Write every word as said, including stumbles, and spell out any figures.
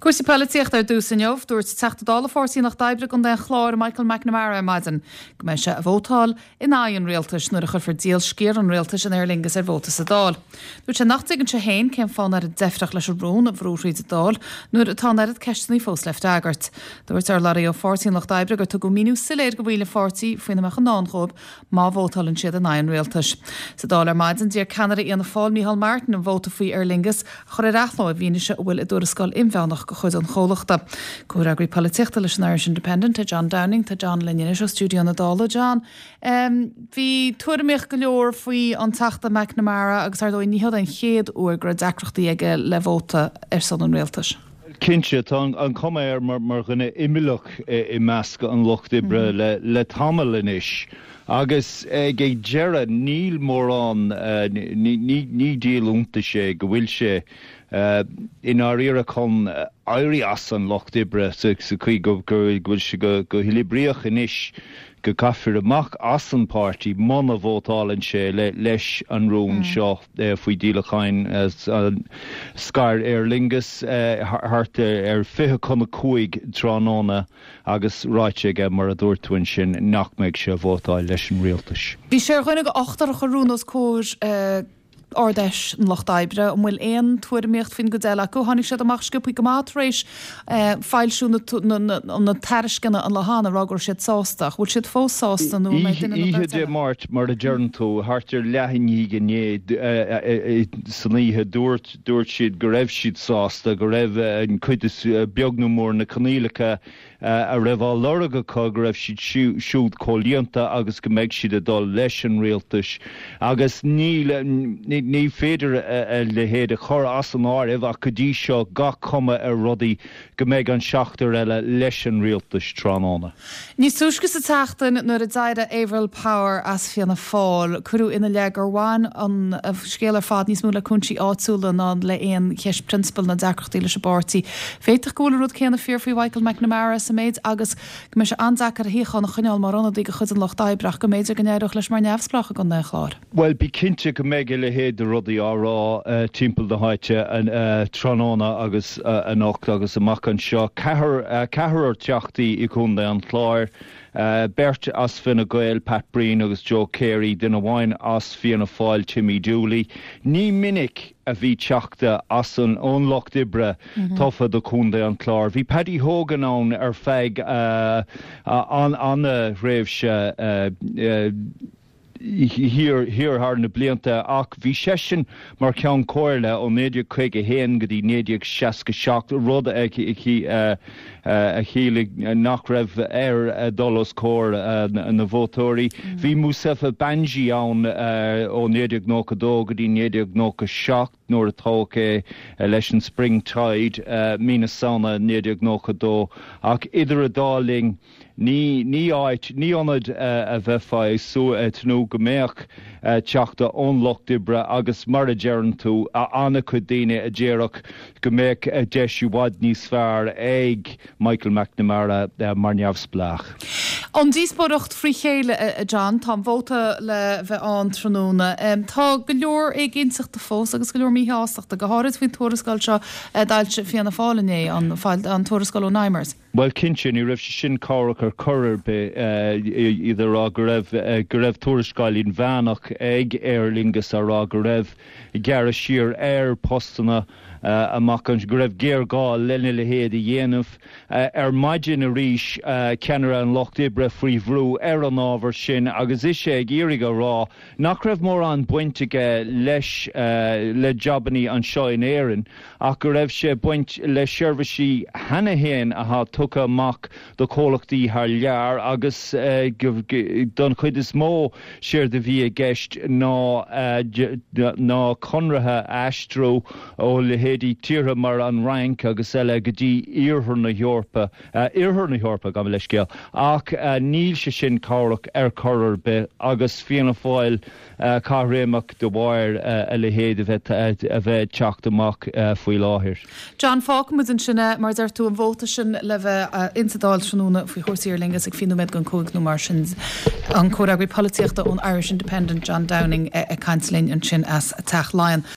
Cúrsaí polaitíochta ar dtús inniu, dúirt Teachta Dála Pháirtí an Lucht Oibre i gContae an Chláir Michael McNamara ar maidin go mbeidh sé ag vótáil in aghaidh an rialtais nuair a chuirfear díol sciar an rialtais in Aer Lingus ar vóta sa Dáil. Dúirt sé nach dtuigeann sé féin cén fáth an oiread deifreach leis an rún a bhrú thríd an Dáil nuair atá an oiread ceisteanna fós le freagairt. Dúirt urlabhraí ó Pháirtí an Lucht Oibre gur tugadh míniú soiléir do bhaill an pháirtí faoina mbeadh i ndán dóibh má vótálann siad in aghaidh an rialtais. Sa Dáil ar maidin d'iarr ceannaire Fhianna Fáil Micheál Martin an vóta faoi Aer Lingus a chur ar athló i bhfianaise a bhfuil i dtuarascáil inmheánach de chuid an chomhlachta. Comhfhreagraí polaitíochta leis an Irish Independent é John Downing tá John linn anois ó stiúideo na Dála John. Um, bhí tuairimíocht go leor faoi an Teachta McNamara agus ar ndóigh ní hé an chéad uair go raibh deacrachtaí aige le vóta ar son an rialtais. Cinnte tá an cuma air mar, mar dhuine imeallach i measc an lucht oibre mm. le, le tamall anois. Agus ag ag deireadh níl mórán uh, ní, ní, ní díol iontais sé go bhfuil sé uh, i ndáiríre chun éirí as an lucht oibre sa chaoi go bhfuil sé go, go huathoibríoch anois go gcaithfear amach as an páirtí muna vótálann sé le, leis an rún mm. seo uh, faoi dhíolacháin uh, scair Aer Lingus uh, thart ar fiche chun a cúig tráthnóna agus ráite aige mar a dúirt tú ansin nach mbeidh sé vótáil leis an rialtas. Bhí sé ar dhuine d'ochtar a chuir rún os comhair uh, Ard-Fheis an Lucht Oibre an bhfuil aon tuairimíocht faoin gcuid eile acu tháinig siad amach sciobtha go maith tar éis eh, foilsiú na tairisceana an lá cheana rá go raibh siad sásta, bhfuil siad fós sásta nó Oíche Dé Máirt mar a deireann tú thart ar leath i ndiaidh a naoi san oíche dúirt dúirt siad go raibh siad sásta go raibh an cuid is beag nó mór na coinníollacha a raibh á lorg acu go raibh siad siúd comhlíonta agus go mbeidh siad ag dul leis an rialtas agus ní ní féidir a leithéid a chur as an áireamh ach go dtí seo gach cuma ar rudaí go mbeidh an seachtar eile leis an rialtas tráthnóna. Níos túisce sa tseachtain nuair a d'éirigh Avril Power as Fianna Fáil, cuireadh ina leith gur bhain an scéal ar fad níos mó le cúinsí áitiúla ná le haon cheist prionsabail ná deacrachtaí leis an bpáirtí. Féadfaidh go bhfuil an rud céanna fíor faoi Michael McNamara sa méid agus go mbeidh sé an-deacair a shuíochán a choinneáil mar ionadaí de chuid an Lucht Oibre ach go mb'fhéidir go n-éireodh leis mar neamhspleách i gContae an Chláir. Well bí cinnte go mbeidh a leithéid de rudaí á rá uh, timpeall na háite an uh, tráthnóna agus uh, anocht agus amach anseo ceathrar uh, ceathrar teachtaí i gContae an Chláir. Uh, beirt as Fine Gael Pat Breen agus Joe Carey duine amháin as Fianna Fáil Timmy Dooley. Ní minic a bhí teachta as an ón lucht oibre mm -hmm. tofa do Chontae an Chláir. Bhí Paddy Hogan ann ar feadh uh, an an-thréimhse uh, uh, thiar thiar thar na blianta ach bhí seisean mar cheann comhairle ó naoi déag caoga haon go dtí naoi déag seasca seacht rud a a chiallaigh nach raibh air dul os comhair na vótóirí. Mm. Bhí Mustafa Banji ann ó naoi déag nócha dó go dtí naoi déag nócha seacht nuair a toghadh é leis an Spring Tide mí na Samhna naoi déag nócha dó ach idir an dá linn ní ní áit ní ionad a bheifeá ag tnúth go mbeadh teachta ón lucht oibre agus mar a deireann tú an-chuid daoine a déarfadh go mbeadh deis i bhfad níos fearr ag Michael McNamara mar neamhspleách. An díospóireacht frí chéile a John tá vóta le bheith ann tráthnóna. Tá go leor éiginnteachta fós agus go leor míshástachta go háirid faoin tuarascáil seo d'fhoilsigh Fianna Fáil inné an tuarascáil ó Nimers. Well cinnte ní raibh sé sin cabhrach ar chor ar bith iad ag rá go raibh go raibh tuarascáil inmheánach ag Aer Lingus á rá go raibh gearradh siar ar postanna amach an go raibh géarghá lena leithéid a dhéanamh ar maidin arís ceannaire an lucht oibre faoi bhrú ar an ábhar sin agus é ag iarraidh a rá nach raibh mórán baint aige leis le jabannaí anseo in Éirinn ach go raibh sé baint le seirbhísí cheana féin atá tugtha amach do chomhlachtaí thar lear agus don chuid is mó séard a bhí i gceist ná ná conarthaí a aistriú ó leithéidí tíortha mar an Fhrainc agus eile go dtí iarthar na hEorpa iarthar na hEorpa gabh mo leithscéal ach níl sé sin cabhrach ar chor ar bith agus Fianna Fáil caithréimeach de bharr a leithéid a bheith a bheith teacht amach faoi láthair. John fágfaimid ansin mar deir tú an vóta sin le bheith insa Dáil tráthnóna faoi chúrsaí Aer Lingus ag fiche nóiméad don cúig nó mar sin an comhfhreagraí polaitíochta ón Irish Independent John Downing ag caint linn ansin as Teach Laighean.